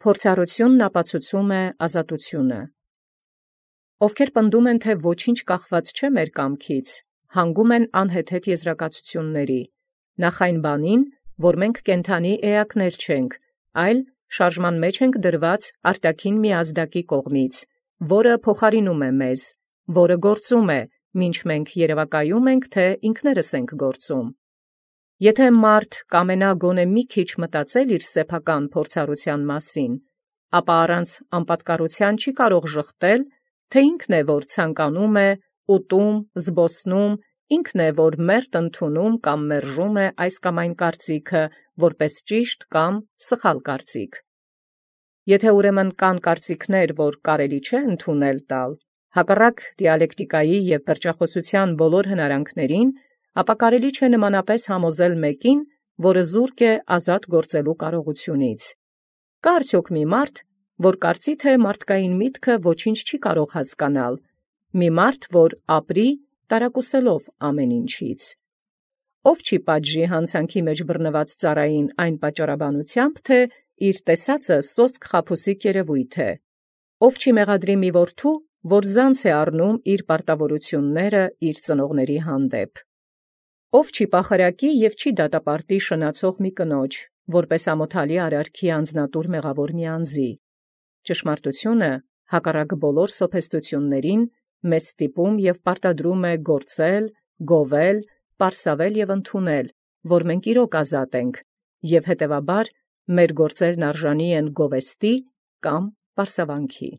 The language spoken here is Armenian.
Փորձառությունն ապացուցում է ազատությունը։ Ովքեր պնդում են, թե ոչինչ կախված չէ մեր կամքից, հանգում են անհեթեթ եզրակացությունների, նախ այն բանին, որ մենք կենդանի էակներ չենք, այլ շարժման մեջ ենք դրված արտաքին մի ազդակի կողմից, որը փոխարինում է մեզ, որը գործում է, մինչ մենք երևակայում ենք, թե ինքներս ենք գործում։ Եթե մարդ կամենա գոնե մի քիչ մտածել իր սեփական փորձառության մասին, ապա առանց անպատկառության չի կարող ժխտել, թե ինքն է, որ ցանկանում է, ուտում, զբոսնում, ինքն է, որ մերթ ընդունում կամ մերժում է այս կամ այն կարծիքը, որպես ճիշտ կամ սխալ կարծիք։ Եթե ուրեմն կան կարծիքներ, որ կարելի չէ ընդունել տալ, հակառակ դիալեկտիկայի և պերճախոսության բոլոր հնարանքներին, ապա կարելի չէ նմանապես համոզել մեկին, որը զուրկ է ազատ գործելու կարողությունից։ Կա արդյոք մի մարդ, որ կարծի, թե մարդկային միտքը ոչինչ չի կարող հասկանալ, մի մարդ, որ ապրի տարակուսելով ամեն ինչից։ Ով չի պատժի հանցանքի մեջ բռնված ծառային այն պատճառաբանությամբ, թե իր տեսածը սոսկ խաբուսիկ երևույթ է։ Ով չի մեղադրի մի որդու, որ զանց է առնում իր պարտավորությունները իր ծնողների հանդեպ։ Ով չի պախարակի և չի դատապարտի շնացող մի կնոջ, որպես ամոթալի արարքի անձնատուր մեղավոր մի անձի։ Ճշմարտությունը, հակառակ բոլոր սոփեստություններին, մեզ ստիպում և պարտադրում է գործել, գովել, պարսավել և ընդունել, որ մենք իրոք ազատ ենք, և հետևաբար մեր գործերն արժանի են գովեստի կամ պարսավանքի։